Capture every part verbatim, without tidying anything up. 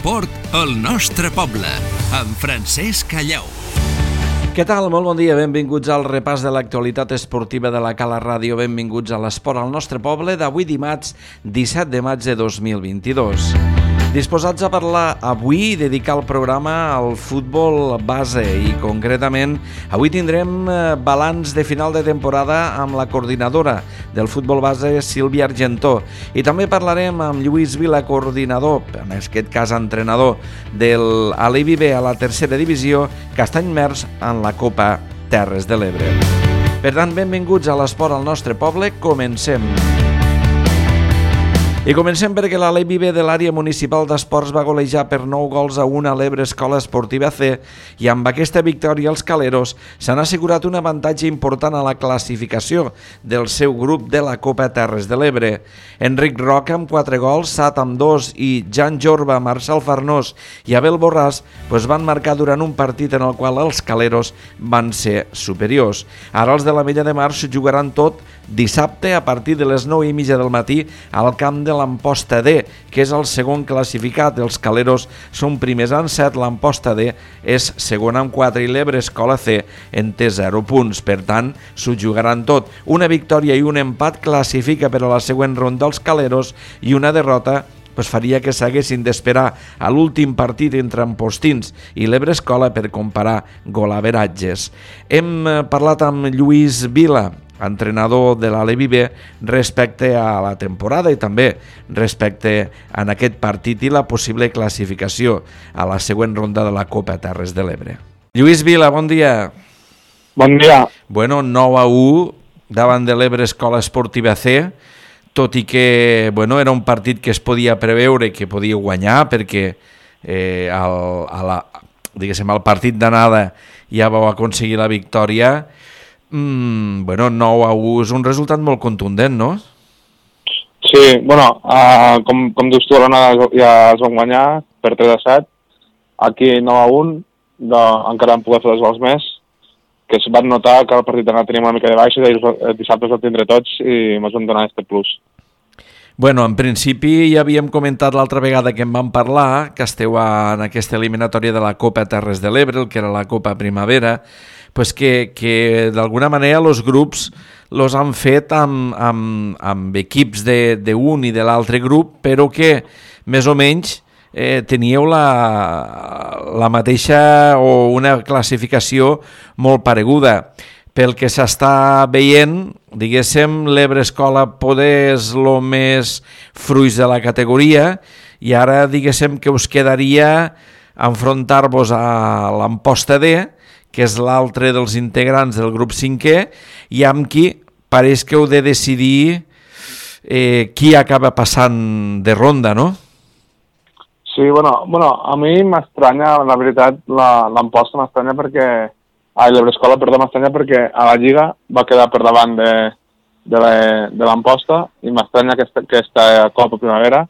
L'esport al nostre poble, amb Francesc Callau. Què tal? Molt bon dia, benvinguts al repàs de l'actualitat esportiva de la Cala Ràdio, benvinguts a l'esport al nostre poble d'avui dimarts disset de maig de dos mil vint-i-dos. Disposats a parlar avui i dedicar el programa al futbol base i concretament avui tindrem balanç de final de temporada amb la coordinadora del futbol base, Sílvia Argentó, i també parlarem amb Lluís Vila, coordinador, en aquest cas entrenador del Alevi B a la tercera divisió, que està immers en la Copa Terres de l'Ebre. Per tant, benvinguts a l'esport al nostre poble, comencem. I comencem perquè l'Alevi B de l'àrea municipal d'esports va golejar per nou gols a un a l'Ebre Escola Esportiva C i amb aquesta victòria els caleros s'han assegurat un avantatge important a la classificació del seu grup de la Copa Terres de l'Ebre. Enric Roca amb quatre gols, Sat amb dos i Jan Jorba, Marcel Farnós i Abel Borràs pues van marcar durant un partit en el qual els caleros van ser superiors. Ara els de l'Ametlla de Mar s'ho jugaran tot dissabte a partir de les nou i mitja del matí al camp de l'Amposta D, que és el segon classificat. Els caleros són primers en set, l'Amposta D és segon amb quatre i l'Ebre Escola C en té zero punts. Per tant, s'ho jugaran tot. Una victòria i un empat classifica per a la següent ronda els caleros i una derrota pues faria que s'haguessin d'esperar a l'últim partit entre Ampostins i l'Ebre Escola per comparar golaveratges. Hem parlat amb Lluís Vila, entrenador de l'Alevi B, respecte a la temporada i també respecte a aquest partit i la possible classificació a la següent ronda de la Copa Terres de l'Ebre. Lluís Vila, bon dia. Bon dia. Bueno, nou a u davant de l'Ebre Escola Esportiva C, tot i que bueno, era un partit que es podia preveure que podia guanyar perquè eh, al, a la, diguéssim, al partit d'anada ja vau aconseguir la victòria. Mm, bueno, nou a u és un resultat molt contundent, no? Sí, bueno, uh, com, com dius tu, l'anada ja es van guanyar per tres a set. Aquí nou a un, de, encara vam poder fer dos gols més, que es van notar que el partit d'anada teníem una mica de baixa i el dissabte els vam tindre tots i ens van donar aquest plus. Bueno, en principi ja havíem comentat l'altra vegada que en vam parlar, que esteu en aquesta eliminatòria de la Copa Terres de l'Ebre, el que era la Copa Primavera, pues que, que d'alguna manera els grups los han fet amb, amb, amb equips d'un i de l'altre grup, però que més o menys eh, teníeu la, la mateixa o una classificació molt pareguda. Pel que s'està veient, diguéssim, l'Ebre Escola poder és el més fruits de la categoria i ara diguéssim que us quedaria enfrontar-vos a l'Amposta D, que és l'altre dels integrants del grup cinquè, i amb qui pareix que heu de decidir eh, qui acaba passant de ronda, no? Sí, bueno, bueno a mi m'estranya, la veritat, l'Amposta m'estranya perquè... Ai, l'Ebre Escola, perdó, m'estranya perquè a la Lliga va quedar per davant de, de l'Amposta i m'estranya que aquesta, aquesta Copa Primavera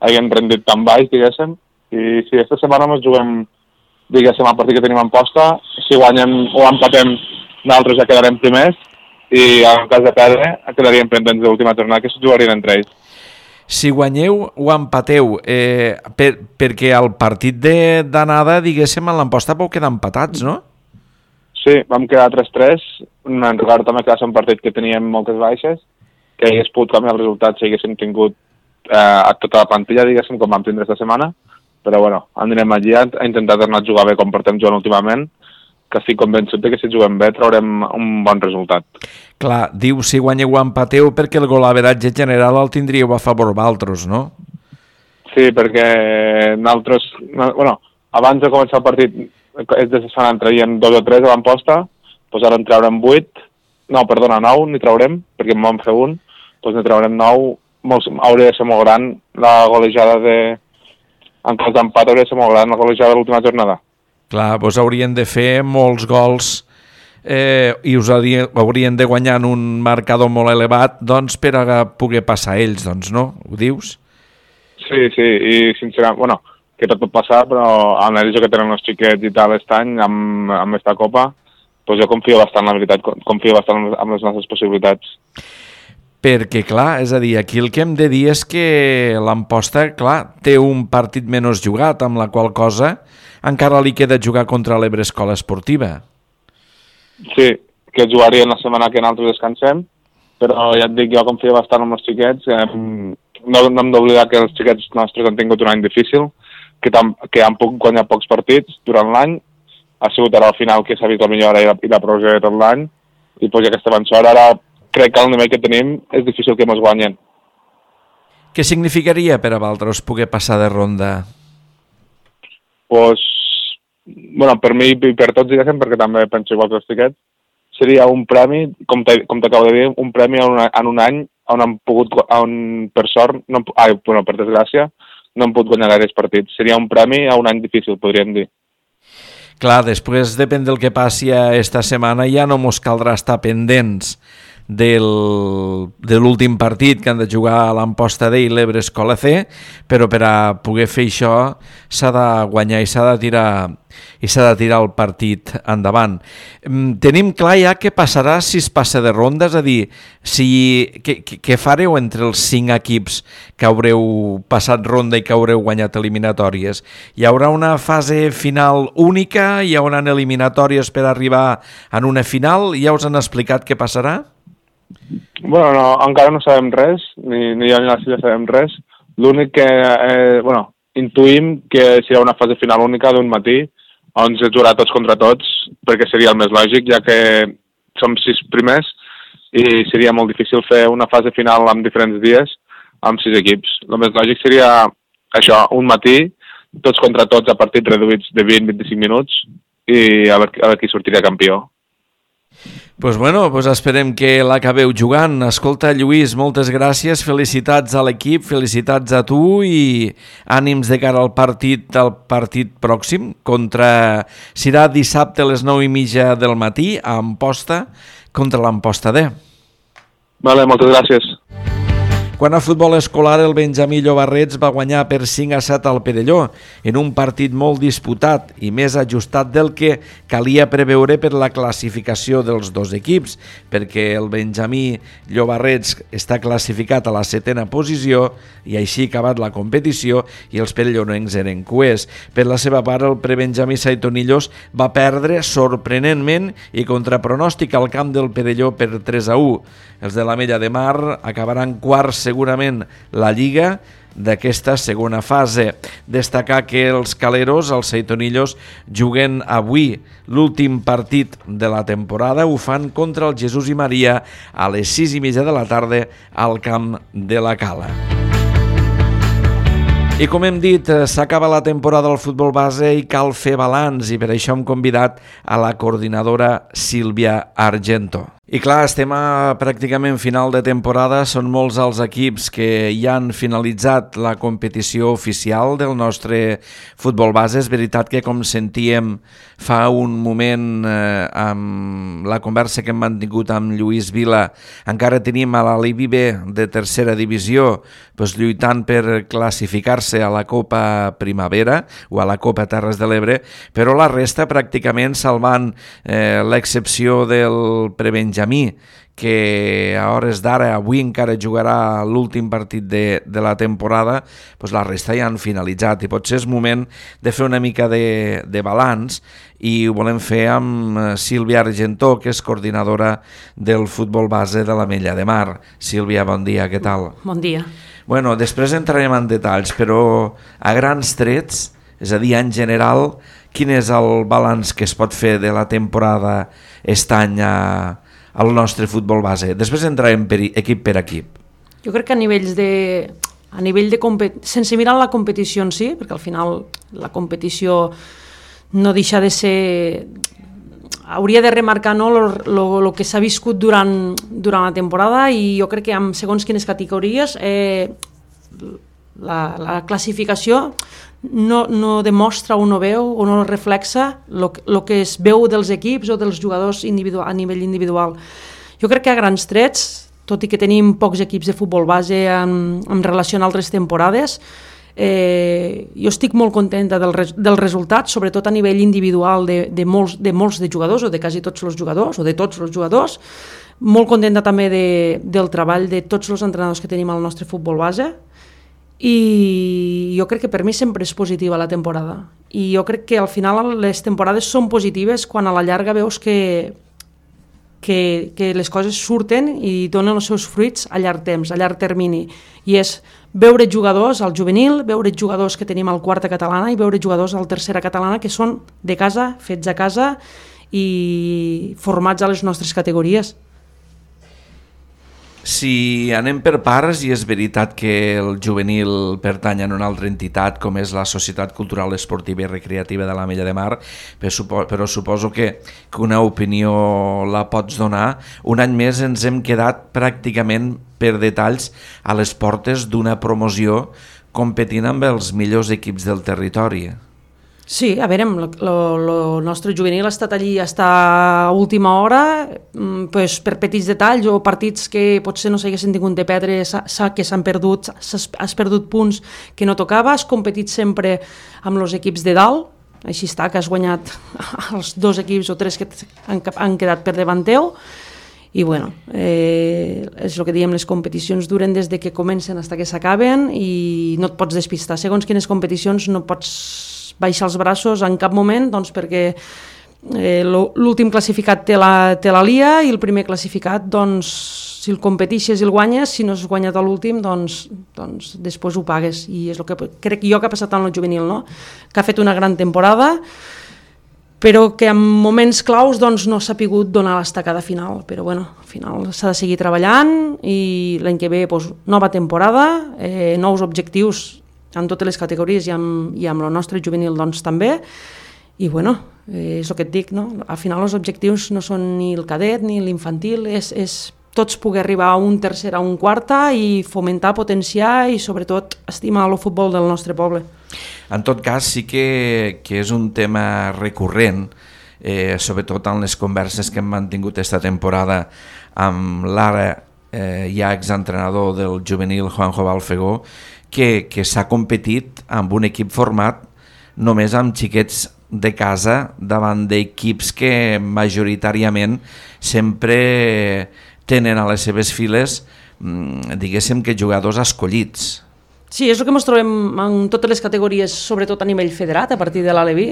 hagin rendit tan baix, diguéssim, i si aquesta setmana ens juguem, diguéssim, el partit que tenim a Amposta, si guanyem o empatem, nosaltres ja quedarem primers i en cas de perdre quedaríem pendents de l'última tornada que s'ho jugarien entre ells. Si guanyeu o empateu, eh, per, perquè el partit d'anada, diguéssim, a l'Amposta vau quedar empatats, no? Sí, vam quedar tres tres, en regard també que va ser un partit que teníem moltes baixes, que hagués pogut canviar el resultat si haguéssim tingut eh, a tota la plantilla, diguéssim, com vam tindre aquesta setmana, però bueno, anirem allí a intentar tornar a jugar bé com portem jugant últimament, que estic convençut que si juguem bé traurem un bon resultat. Clar, diu si guanyeu o empateu perquè el golaveratge general el tindríeu a favor vosaltres, no? Sí, perquè nosaltres, bueno, abans de començar el partit, és de setmana en traiem dos o tres a l'Amposta, doncs ara en traurem vuit, no, perdona, nou, n'hi traurem, perquè en vam fer un, doncs n'hi traurem nou, molt, hauria de ser molt gran la golejada de... En cas d'empat hauria de ser molt gran la golejada de l'última jornada. Clar, doncs haurien de fer molts gols eh, i us haurien de guanyar en un marcador molt elevat doncs per a poder passar ells, doncs, no? Ho dius? Sí, sí, i sincerament, bueno, que tot pot passar, però amb l'analitza que tenen els xiquets i tal aquest any, amb, amb aquesta Copa, doncs jo confio bastant, la veritat, confio bastant en les nostres possibilitats. perquè, clar, és a dir, aquí el que hem de dir és que l'Amposta, clar, té un partit menys jugat, amb la qual cosa encara li queda jugar contra l'Ebre Escola Esportiva. Sí, que jugarien la setmana que nosaltres descansem, però ja et dic, jo confio bastant en els xiquets, eh, no, no hem d'oblidar que els xiquets nostres han tingut un any difícil, que, tam, que han pogut guanyar pocs partits durant l'any, ha sigut ara al final que s'ha vist la millora i la, i la progressió de tot l'any, i pues, ja que estem en sort, ara crec que el nivell que tenim és difícil que ens guanyen. Què significaria per a vosaltres poder passar de ronda? Pues, bueno, per mi i per tots, diguéssim, perquè també penso igual que els xiquets, seria un premi, com t'acabo de dir, un premi en, una, en un any on han pogut, on, per sort, no, ai, bueno, per desgràcia, no han pogut guanyar gaires partits. Seria un premi a un any difícil, podríem dir. Clar, després, depèn del que passi esta setmana, ja no mos caldrà estar pendents del, de l'últim partit que han de jugar a l'Amposta D i l'Ebre Escola C, però per a poder fer això s'ha de guanyar i s'ha de tirar i s'ha de tirar el partit endavant. Tenim clar ja què passarà si es passa de ronda, és a dir, si, què, què fareu entre els cinc equips que haureu passat ronda i que haureu guanyat eliminatòries? Hi haurà una fase final única? Hi haurà eliminatòries per arribar en una final? Ja us han explicat què passarà? Bueno, no, encara no sabem res, ni, ni jo ni la Sílvia sabem res. L'únic que, eh, bueno, intuïm que serà una fase final única d'un matí, on es jugarà tots contra tots, perquè seria el més lògic, ja que som sis primers i seria molt difícil fer una fase final en diferents dies amb sis equips. El més lògic seria això, un matí, tots contra tots a partits reduïts de vint a vint-i-cinc minuts i a veure, a veure qui sortiria campió. Pues bueno, pues esperem que l'acabeu jugant. Escolta, Lluís, moltes gràcies, felicitats a l'equip, felicitats a tu i ànims de cara al partit al partit pròxim contra... Serà dissabte a les nou i mitja del matí a Amposta contra l'Amposta D. Vale, moltes gràcies. Quan a futbol escolar, el Benjamí Llobarrets va guanyar per cinc a set al Perelló en un partit molt disputat i més ajustat del que calia preveure per la classificació dels dos equips, perquè el Benjamí Llobarrets està classificat a la setena posició i així ha acabat la competició i els perellonencs eren cuers. Per la seva part, el prebenjamí Saitonillos va perdre sorprenentment i contra pronòstic al camp del Perelló per tres a u. Els de l'Ametlla de Mar acabaran quarts segurament la Lliga d'aquesta segona fase. Destacar que els caleros, els Saitonillos, juguen avui l'últim partit de la temporada. Ho fan contra el Jesús i Maria a les sis i mitja de la tarda al camp de la Cala. I com hem dit, s'acaba la temporada del futbol base i cal fer balanç i per això hem convidat a la coordinadora Sílvia Argento. I clar, estem a pràcticament final de temporada, són molts els equips que ja han finalitzat la competició oficial del nostre futbol base. És veritat que, com sentíem fa un moment eh, amb la conversa que hem mantingut amb Lluís Vila, encara tenim a l'Alibi B de tercera divisió doncs, lluitant per classificar-se a la Copa Primavera o a la Copa Terres de l'Ebre, però la resta pràcticament salvant eh, l'excepció del prebenjamí, que a hores d'ara, avui encara jugarà l'últim partit de, de la temporada, doncs la resta ja han finalitzat i potser és moment de fer una mica de, de balanç i ho volem fer amb Sílvia Argentó, que és coordinadora del futbol base de l'Ametlla de Mar. Sílvia, bon dia, què tal? Bon dia. Bueno, després entrarem en detalls, però a grans trets, és a dir, en general, quin és el balanç que es pot fer de la temporada aquest any a al nostre futbol base? Després entrarem per equip per equip. Jo crec que a nivells de... A nivell de compet... sense mirar la competició en si, perquè al final la competició no deixa de ser... Hauria de remarcar no, lo, lo, lo que s'ha viscut durant, durant la temporada i jo crec que amb segons quines categories eh, la, la classificació no, no demostra o no veu o no reflexa el que es veu dels equips o dels jugadors individual, a nivell individual. Jo crec que a grans trets, tot i que tenim pocs equips de futbol base en, en relació a altres temporades, Eh, jo estic molt contenta del, res, del resultat, sobretot a nivell individual de, de, molts, de molts de jugadors, o de quasi tots els jugadors, o de tots els jugadors. Molt contenta també de, del treball de tots els entrenadors que tenim al nostre futbol base, i jo crec que per mi sempre és positiva la temporada, i jo crec que al final les temporades són positives quan a la llarga veus que, que, que les coses surten i donen els seus fruits a llarg temps, a llarg termini, i és veure jugadors al juvenil, veure jugadors que tenim al quarta catalana i veure jugadors al tercera catalana que són de casa, fets a casa i formats a les nostres categories. Si anem per parts, i és veritat que el juvenil pertany a una altra entitat com és la Societat Cultural Esportiva i Recreativa de l'Ametlla de Mar, però suposo que, que una opinió la pots donar. Un any més ens hem quedat pràcticament per detalls a les portes d'una promoció competint amb els millors equips del territori. Sí, a veure, el nostre juvenil ha estat allí hasta a última hora, pues, per petits detalls o partits que potser no s'haguessin tingut de perdre, que s'han perdut, has perdut punts que no tocava, has competit sempre amb els equips de dalt, així està, que has guanyat els dos equips o tres que han, han quedat per davant teu, i bueno, eh, és el que diem, les competicions duren des de que comencen fins que s'acaben i no et pots despistar. Segons quines competicions no pots baixar els braços en cap moment, doncs perquè eh, l'últim classificat té la, té la lia i el primer classificat, doncs, si el competixes i el guanyes, si no has guanyat a l'últim, doncs, doncs després ho pagues. I és el que crec jo que ha passat en el juvenil, no? Que ha fet una gran temporada, però que en moments claus doncs, no s'ha pogut donar l'estacada final. Però bueno, al final s'ha de seguir treballant i l'any que ve doncs, nova temporada, eh, nous objectius en totes les categories i amb, i amb el nostre juvenil doncs, també, i bueno, eh, és el que et dic, no? Al final els objectius no són ni el cadet ni l'infantil, és, és tots poder arribar a un tercer, a un quarta i fomentar, potenciar i sobretot estimar el futbol del nostre poble. En tot cas sí que, que és un tema recurrent, eh, sobretot en les converses que hem mantingut esta temporada amb l'ara eh, ja exentrenador del juvenil Juanjo Balfegó, que, que s'ha competit amb un equip format només amb xiquets de casa davant d'equips que majoritàriament sempre tenen a les seves files, diguéssim que jugadors escollits. Sí, és el que ens trobem en totes les categories, sobretot a nivell federat, a partir de l'Aleví,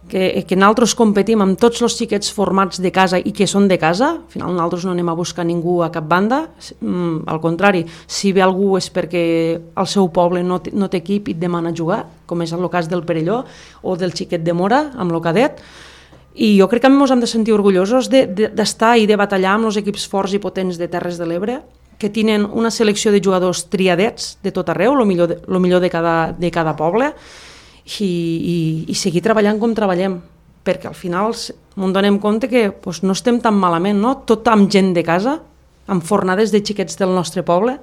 que, que nosaltres competim amb tots els xiquets formats de casa i que són de casa. Al final nosaltres no anem a buscar ningú a cap banda, al contrari, si ve algú és perquè el seu poble no té, no té equip i et demana jugar, com és el cas del Perelló o del xiquet de Mora amb el cadet, i jo crec que ens hem de sentir orgullosos de, de, d'estar i de batallar amb els equips forts i potents de Terres de l'Ebre, que tenen una selecció de jugadors triadets de tot arreu, el millor de, lo millor de cada, de cada poble, i, i, i seguir treballant com treballem, perquè al final ens donem compte que pues, no estem tan malament, no? Tot amb gent de casa, amb fornades de xiquets del nostre poble.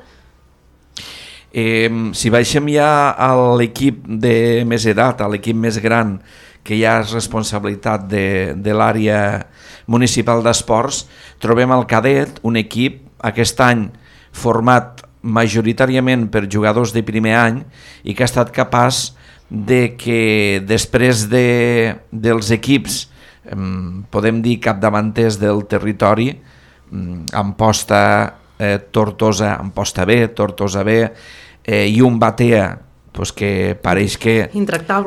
Eh, si baixem ja a l'equip de més edat, a l'equip més gran, que ja és responsabilitat de, de l'àrea municipal d'esports, trobem el cadet, un equip aquest any format majoritàriament per jugadors de primer any i que ha estat capaç de que després de, dels equips, eh, podem dir capdavanters del territori, eh, Amposta, eh, Tortosa, Amposta B, Tortosa B, eh, i un Batea, pues que pareix que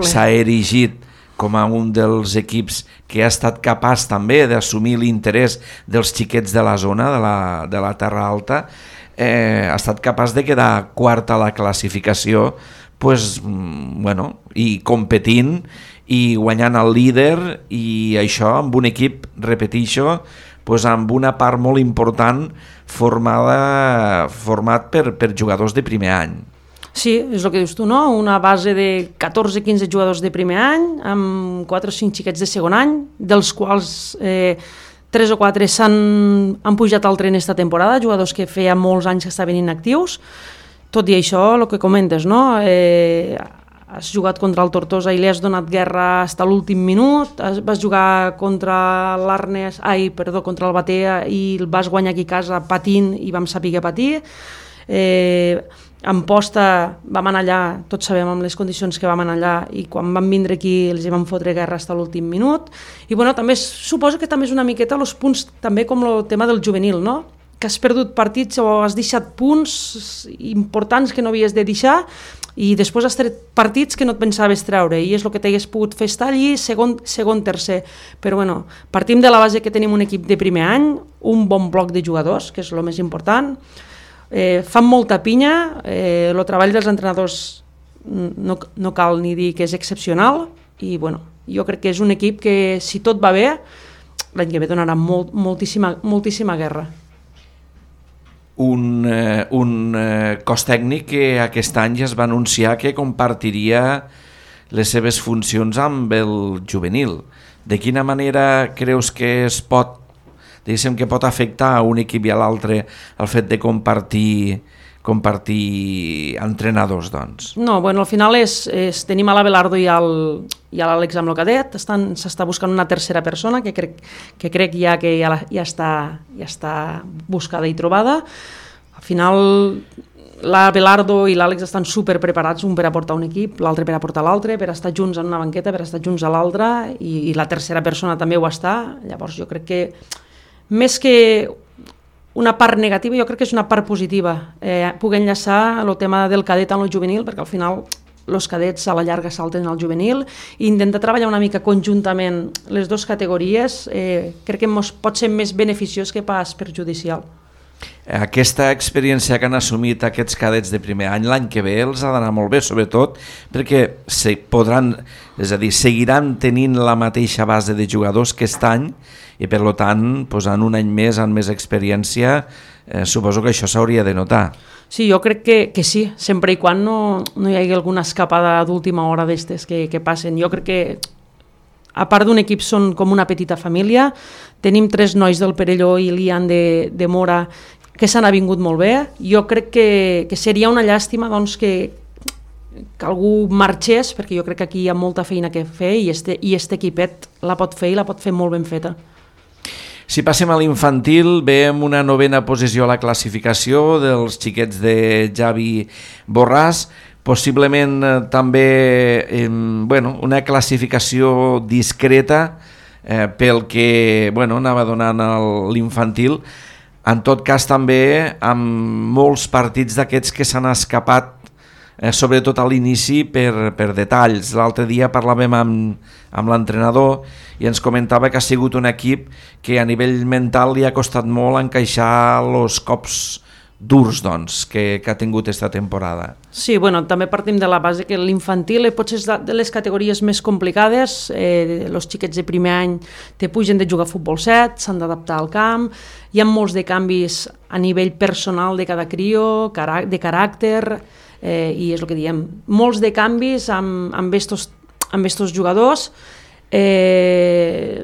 s'ha erigit com a un dels equips que ha estat capaç també d'assumir l'interès dels xiquets de la zona, de la, de la Terra Alta, eh, ha estat capaç de quedar quart a la classificació, pues, bueno, i competint i guanyant el líder, i això amb un equip, repeteixo, pues, amb una part molt important formada, format per, per jugadors de primer any. Sí, és el que dius tu, no? Una base de catorze a quinze jugadors de primer any, amb quatre o cinc xiquets de segon any, dels quals eh, tres o quatre s'han han pujat al tren esta temporada, jugadors que feia molts anys que estaven inactius. Tot i això, el que comentes, no? Eh, has jugat contra el Tortosa i li has donat guerra fins a l'últim minut, vas jugar contra l'Arnes, ai, perdó, contra el Batea i el vas guanyar aquí a casa patint i vam saber patir. Eh, Amposta vam anar allà, tots sabem amb les condicions que vam anar allà, i quan vam vindre aquí els hi vam fotre guerra fins a l'últim minut. I bueno, també suposo que també és una miqueta els punts, també com el tema del juvenil, no? Que has perdut partits o has deixat punts importants que no havies de deixar i després has tret partits que no et pensaves treure i és el que t'hagués pogut fer estar allí segon, segon, tercer. Però bueno, partim de la base que tenim un equip de primer any, un bon bloc de jugadors, que és el més important. Eh, fan molta pinya, eh, el treball dels entrenadors no, no cal ni dir que és excepcional i bueno, jo crec que és un equip que si tot va bé l'any que ve donarà molt, moltíssima, moltíssima guerra. Un, eh, un eh, cos tècnic que aquest any ja es va anunciar que compartiria les seves funcions amb el juvenil. De quina manera creus que es pot diguéssim que pot afectar a un equip i a l'altre el fet de compartir compartir entrenadors, doncs? No, bueno, al final és, és tenim a l'Abelardo i al, i a l'Àlex amb el cadet, s'està buscant una tercera persona que crec, que crec ja que ja, la, ja, està, ja està buscada i trobada. Al final l'Abelardo i l'Àlex estan super preparats, un per aportar un equip, l'altre per aportar l'altre, per estar junts en una banqueta, per estar junts a l'altra, i, i la tercera persona també ho està. Llavors jo crec que més que una part negativa, jo crec que és una part positiva, eh, poder enllaçar el tema del cadet amb el juvenil, perquè al final els cadets a la llarga salten al juvenil, i intentar treballar una mica conjuntament les dues categories, eh, crec que mos pot ser més beneficiós que pas perjudicial. Aquesta experiència que han assumit aquests cadets de primer any l'any que ve els ha d'anar molt bé, sobretot perquè se podran, és a dir, seguiran tenint la mateixa base de jugadors que aquest any i per tant, posant un any més amb més experiència, eh, suposo que això s'hauria de notar. Sí, jo crec que, que sí, sempre i quan no, no hi hagi alguna escapada d'última hora d'estes que, que passen. Jo crec que a part d'un equip són com una petita família, tenim tres nois del Perelló i l'Ian de, de Mora que s'han avingut molt bé. Jo crec que, que seria una llàstima doncs, que, que algú marxés, perquè jo crec que aquí hi ha molta feina que fer i este, i este equipet la pot fer i la pot fer molt ben feta. Si passem a l'infantil, veiem una novena posició a la classificació dels xiquets de Javi Borràs, possiblement eh, també eh, bueno, una classificació discreta eh, pel que bueno, anava donant l'infantil. En tot cas també amb molts partits d'aquests que s'han escapat, eh, sobretot a l'inici per, per detalls. L'altre dia parlàvem amb, amb l'entrenador i ens comentava que ha sigut un equip que a nivell mental li ha costat molt encaixar els cops durs doncs, que, que ha tingut aquesta temporada. Sí, bueno, també partim de la base que l'infantil potser és de les categories més complicades. Eh, els xiquets de primer any te pugen de jugar a futbol set, s'han d'adaptar al camp, hi ha molts de canvis a nivell personal de cada crio, de caràcter, eh, i és el que diem, molts de canvis amb, amb, estos, amb estos jugadors. Eh,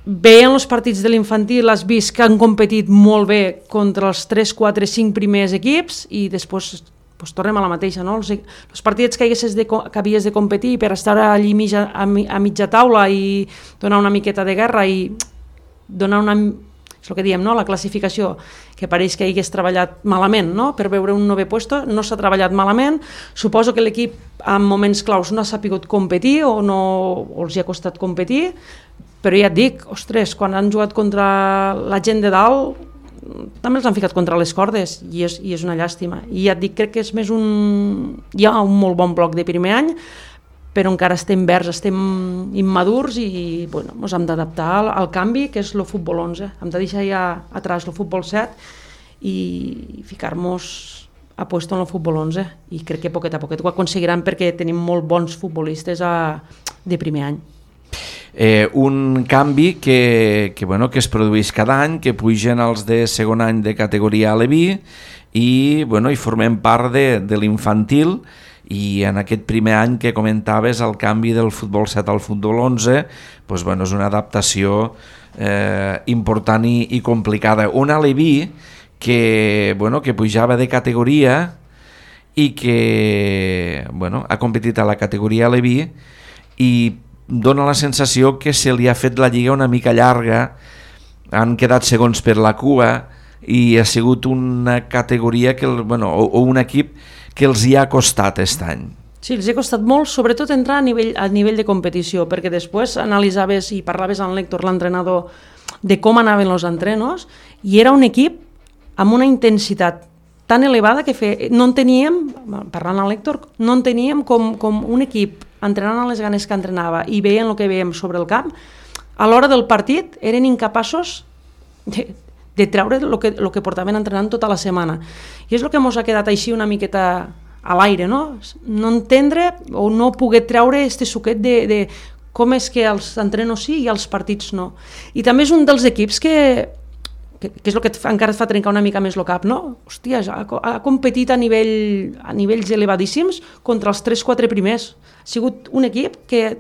veient els partits de l'infantil has vist que han competit molt bé contra els tres, quatre, cinc primers equips i després pues, tornem a la mateixa, no? Els, els partits que, de, que havies de competir per estar allí mitja, a, a mitja taula i donar una miqueta de guerra i donar una... és el que diem, no? La classificació, que pareix que hagués treballat malament, no? Per veure un novè puesto, no s'ha treballat malament. Suposo que l'equip en moments claus no ha sapigut competir o, no, o els hi ha costat competir, però ja et dic, ostres, quan han jugat contra la gent de dalt també els han ficat contra les cordes i és, i és una llàstima. I ja et dic, crec que és més un... hi ha un molt bon bloc de primer any, però encara estem verds, estem immadurs i bueno, ens hem d'adaptar al, al canvi que és el futbol onze. Hem de deixar ja atrás el futbol set i ficar-nos a puesto en el futbol onze i crec que poquet a poquet ho aconseguiran perquè tenim molt bons futbolistes a, de primer any. Eh, un canvi que, que, bueno, que es produeix cada any, que pugen els de segon any de categoria Aleví i, bueno, i formem part de, de l'infantil. I en aquest primer any que comentaves el canvi del futbol set al futbol onze, doncs, bueno, és una adaptació eh, important i, i complicada. Un aleví que, bueno, que pujava de categoria i que bueno, ha competit a la categoria aleví i dona la sensació que se li ha fet la lliga una mica llarga, han quedat segons per la cua, i ha sigut una categoria que, bueno, o, o un equip que els hi ha costat aquest any. Sí, els ha costat molt, sobretot entrar a nivell, a nivell de competició, perquè després analitzaves i parlaves amb l'Héctor, l'entrenador, de com anaven els entrenos, i era un equip amb una intensitat tan elevada que fe, no en teníem, parlant amb l'Héctor, no en teníem com, com un equip entrenant a les ganes que entrenava i veient el que veiem sobre el camp, a l'hora del partit eren incapaços de, de treure el que, el que portaven entrenant tota la setmana. I és el que ens ha quedat així una miqueta a l'aire, no? No entendre o no poder treure este suquet de, de com és que els entrenos sí i els partits no. I també és un dels equips que, que, que és el que fa, encara et fa trencar una mica més el cap, no? Hòstia, ha, ha competit a, nivell, a nivells elevadíssims contra els tres quatre primers. Ha sigut un equip que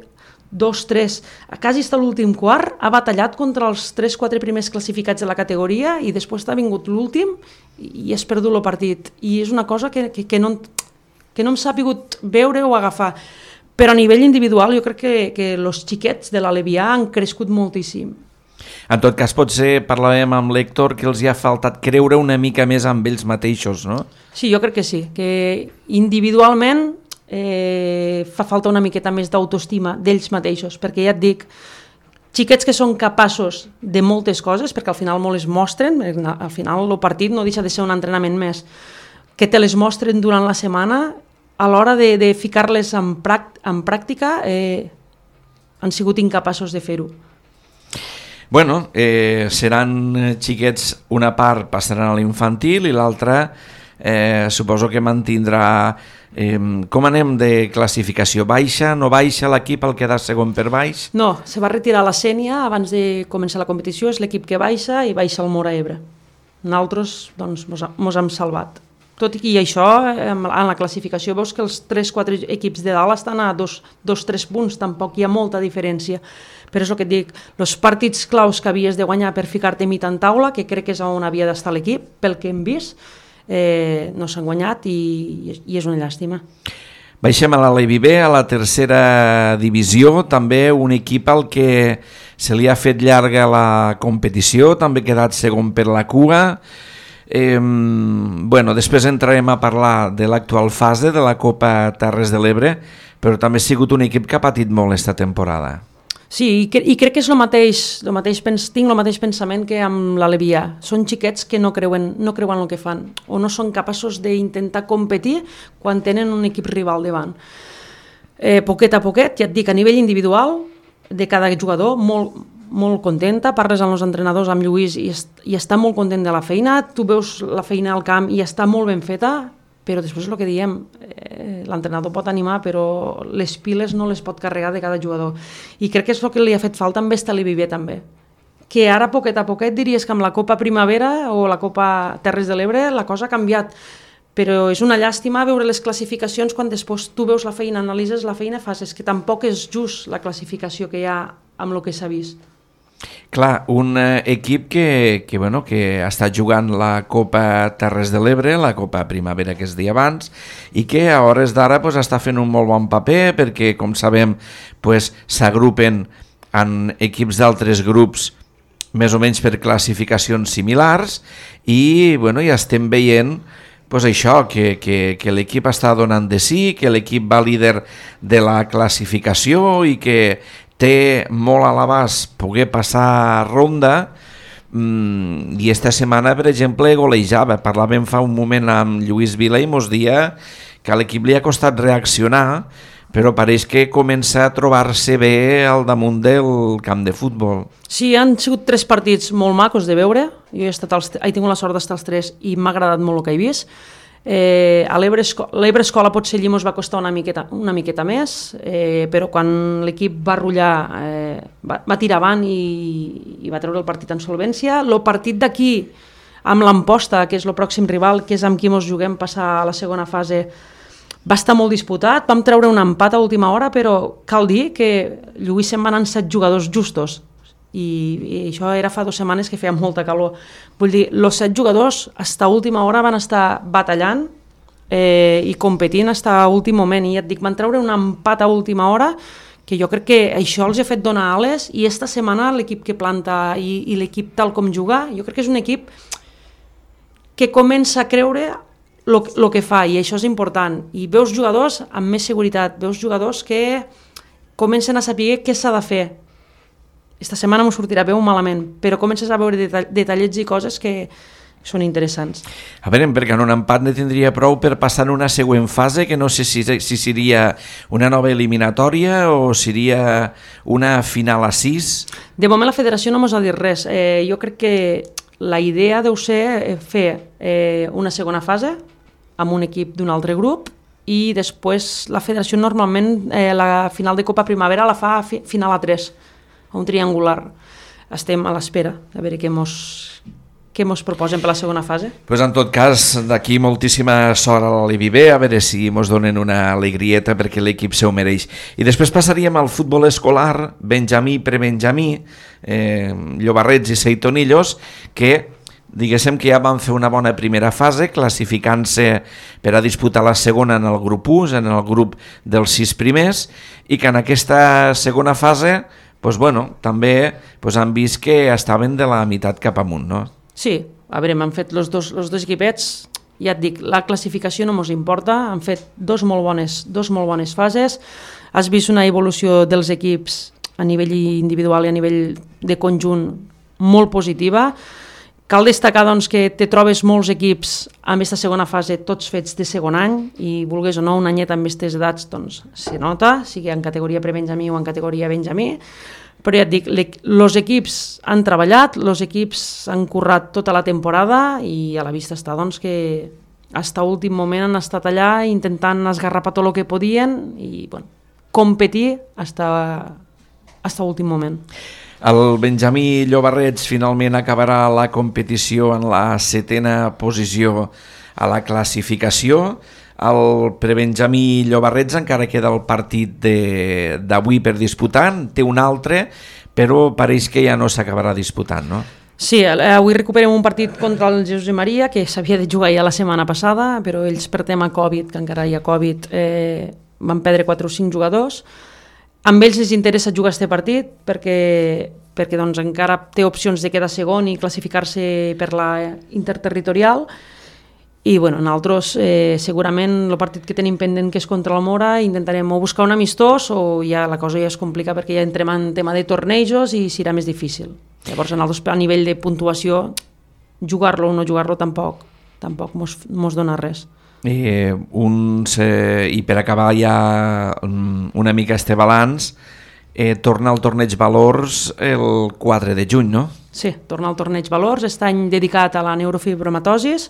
dos tres, quasi està l'últim quart, ha batallat contra els tres quatre primers classificats de la categoria i després ha vingut l'últim i has perdut el partit. I és una cosa que, que, que, no, que no hem sapigut veure o agafar. Però a nivell individual jo crec que, que els xiquets de l'Alevià han crescut moltíssim. En tot cas, potser parlàvem amb l'Héctor que els hi ha faltat creure una mica més amb ells mateixos, no? Sí, jo crec que sí, que individualment eh, fa falta una miqueta més d'autoestima d'ells mateixos, perquè ja et dic, xiquets que són capaços de moltes coses, perquè al final molt es mostren, al final el partit no deixa de ser un entrenament més, que te les mostren durant la setmana, a l'hora de, de ficar-les en, en pràctica eh, han sigut incapaços de fer-ho. Bueno, eh, seran xiquets, una part passaran a l'infantil i l'altra eh, suposo que mantindrà... Eh, com anem de classificació? Baixa, no baixa l'equip al quedar segon per baix? No, se va retirar la Sènia abans de començar la competició, és l'equip que baixa i baixa el Móra Ebre. Nosaltres doncs, mos, mos hem salvat. Tot i això, en la classificació veus que els tres quatre equips de dalt estan a dos tres punts, tampoc hi ha molta diferència. Però és el que et dic, els partits claus que havies de guanyar per ficar-te mit en taula, que crec que és on havia d'estar l'equip, pel que hem vist, eh, no s'han guanyat i, i és una llàstima. Baixem a l'Alevi B, a la tercera divisió, també un equip al que se li ha fet llarga la competició, també ha quedat segon per la cua. Eh, bueno, després entrarem a parlar de l'actual fase de la Copa Terres de l'Ebre, però també ha sigut un equip que ha patit molt esta temporada. Sí, i, cre i crec que és el mateix, el mateix pens tinc el mateix pensament que amb l'Alevià. Són xiquets que no creuen, no creuen el que fan o no són capaços d'intentar competir quan tenen un equip rival davant. Eh, poquet a poquet, ja et dic, a nivell individual de cada jugador, molt, molt contenta, parles amb els entrenadors, amb Lluís, i, est i està molt content de la feina, tu veus la feina al camp i està molt ben feta, però després és el que diem, eh, l'entrenador pot animar, però les piles no les pot carregar de cada jugador. I crec que és el que li ha fet falta amb esta Levi B també. Que ara, poquet a poquet, diries que amb la Copa Primavera o la Copa Terres de l'Ebre la cosa ha canviat. Però és una llàstima veure les classificacions quan després tu veus la feina, analitzes la feina, fas, és que tampoc és just la classificació que hi ha amb el que s'ha vist. Clar, un eh, equip que, que, bueno, que ha estat jugant la Copa Terres de l'Ebre, la Copa Primavera que es deia abans, i que a hores d'ara pues, està fent un molt bon paper perquè, com sabem, pues, s'agrupen en equips d'altres grups més o menys per classificacions similars i bueno, ja estem veient pues, això, que, que, que l'equip està donant de sí, que l'equip va líder de la classificació i que té molt a l'abast poder passar ronda mm, i esta setmana, per exemple, golejava. Parlàvem fa un moment amb Lluís Vila i mos dia que a l'equip li ha costat reaccionar, però pareix que comença a trobar-se bé al damunt del camp de futbol. Sí, han sigut tres partits molt macos de veure. Jo he, estat als, he tingut la sort d'estar als tres i m'ha agradat molt el que he vist. Eh, a l'Ebre Escola potser allí ens va costar una miqueta, una miqueta més, eh, però quan l'equip va rotllar eh, va, va tirar avant i, i va treure el partit en solvència. El partit d'aquí amb l'Amposta, que és el pròxim rival, que és amb qui ens juguem passar a la segona fase, va estar molt disputat, vam treure un empat a última hora, però cal dir que Lluís se'n van anar set jugadors justos. I, i això era fa dues setmanes que feia molta calor. Vull dir, els set jugadors fins a última hora van estar batallant eh, i competint fins a últim moment, i ja et dic, van treure un empat a última hora que jo crec que això els ha fet donar ales, i esta setmana l'equip que planta i, i l'equip tal com juga, jo crec que és un equip que comença a creure el que fa, i això és important. I veus jugadors amb més seguretat, veus jugadors que comencen a saber què s'ha de fer. Esta setmana m'ho sortirà bé o malament, però comences a veure detall, detallets i coses que són interessants. A veure, perquè en un empat ne tindria prou per passar a una següent fase, que no sé si, si seria una nova eliminatòria o seria una final a sis. De moment la federació no mos ha dit res. Eh, jo crec que la idea deu ser fer eh, una segona fase amb un equip d'un altre grup i després la federació normalment eh, la final de Copa Primavera la fa a fi, final a tres, a un triangular. Estem a l'espera de veure què mos, què mos proposen per la segona fase. Pues en tot cas, d'aquí moltíssima sort a l'Alibibé, a veure si mos donen una alegrieta perquè l'equip se ho mereix. I després passaríem al futbol escolar, Benjamí, prebenjamí, eh, Llobarrets i Seitonillos, que diguéssim que ja van fer una bona primera fase, classificant-se per a disputar la segona en el grup u, en el grup dels sis primers, i que en aquesta segona fase pues bueno, també pues han vist que estaven de la meitat cap amunt, no? Sí, a veure, m'han fet els dos, els dos equipets, ja et dic, la classificació no mos importa, han fet dos molt bones, dos molt bones fases, has vist una evolució dels equips a nivell individual i a nivell de conjunt molt positiva. Cal destacar doncs, que te trobes molts equips amb aquesta segona fase, tots fets de segon any, i vulguis o no, un anyet amb aquestes edats doncs, se nota, sigui en categoria prebenjamí o en categoria benjamí, però ja et dic, els equips han treballat, els equips han currat tota la temporada i a la vista està doncs, que fins a últim moment han estat allà intentant esgarrapar tot el que podien i bueno, competir fins a últim moment. El Benjamí Llobarrets finalment acabarà la competició en la setena posició a la classificació. El prebenjamí Llobarrets encara queda el partit d'avui per disputar, té un altre, però pareix que ja no s'acabarà disputant, no? Sí, avui recuperem un partit contra el Jesús i Maria, que s'havia de jugar ja la setmana passada, però ells per tema Covid, que encara hi ha Covid, eh, van perdre quatre o cinc jugadors. Amb ells els interessa jugar aquest partit perquè, perquè doncs, encara té opcions de quedar segon i classificar-se per la interterritorial. I bueno, nosaltres eh, segurament el partit que tenim pendent, que és contra el Mora, intentarem o buscar un amistós o ja la cosa ja es complica perquè ja entrem en tema de tornejos i serà més difícil. Llavors nosaltres a nivell de puntuació jugar-lo o no jugar-lo tampoc tampoc mos, mos dona res. I, uns, eh, I per acabar ja una mica este balanç, eh, torna al torneig Valors el quatre de juny, no? Sí, torna al torneig Valors, aquest any dedicat a la neurofibromatosis.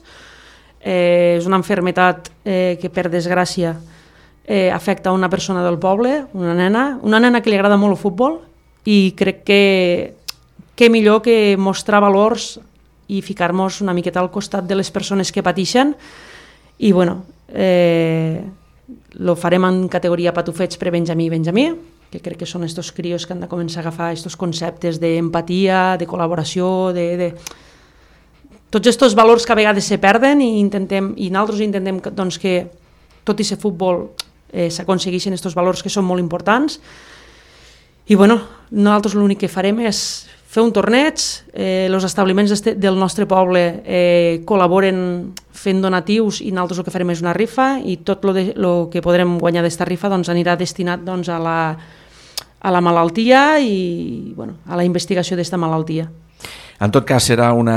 Eh, és una malaltia eh, que per desgràcia eh, afecta a una persona del poble, una nena, una nena que li agrada molt el futbol i crec que que millor que mostrar valors i ficar-nos una miqueta al costat de les persones que pateixen i bueno, eh, lo farem en categoria patufets prebenjamí i benjamí, que crec que són estos crios que han de començar a agafar estos conceptes d'empatia, de col·laboració, de... de tots aquests valors que a vegades se perden i intentem i nosaltres intentem doncs, que tot i ser futbol eh, s'aconsegueixen aquests valors que són molt importants i bueno, nosaltres l'únic que farem és fer un torneig, eh, els establiments del nostre poble eh, col·laboren fent donatius i nosaltres el que farem és una rifa i tot el que podrem guanyar d'aquesta rifa doncs, anirà destinat doncs, a, la, a la malaltia i bueno, a la investigació d'aquesta malaltia. En tot cas, serà una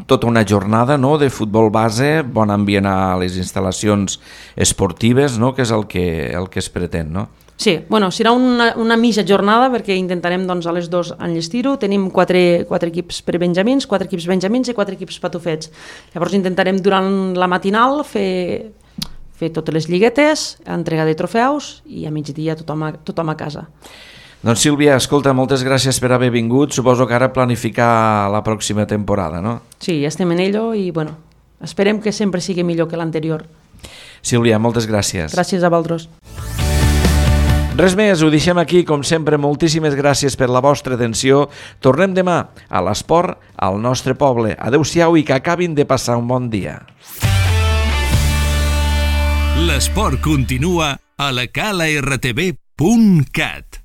tota una jornada no, de futbol base, bon ambient a les instal·lacions esportives, no, que és el que, el que es pretén, no? Sí, bueno, serà una, una mitja jornada perquè intentarem doncs, a les dues enllestir-ho. Tenim quatre, quatre equips prebenjamins, quatre equips benjamins i quatre equips patufets. Llavors intentarem durant la matinal fer, fer totes les lliguetes, entrega de trofeus i a migdia tothom a, tothom a casa. Doncs Sílvia, escolta, moltes gràcies per haver vingut. Suposo que ara planificar la pròxima temporada, no? Sí, ja estem en ello i bueno, esperem que sempre sigui millor que l'anterior. Sílvia, moltes gràcies. Gràcies a vosaltres. Res més, ho deixem aquí, com sempre, moltíssimes gràcies per la vostra atenció. Tornem demà a l'esport al nostre poble. Adéu-siau i que acabin de passar un bon dia. L'esport continua a la cala r t v punt cat.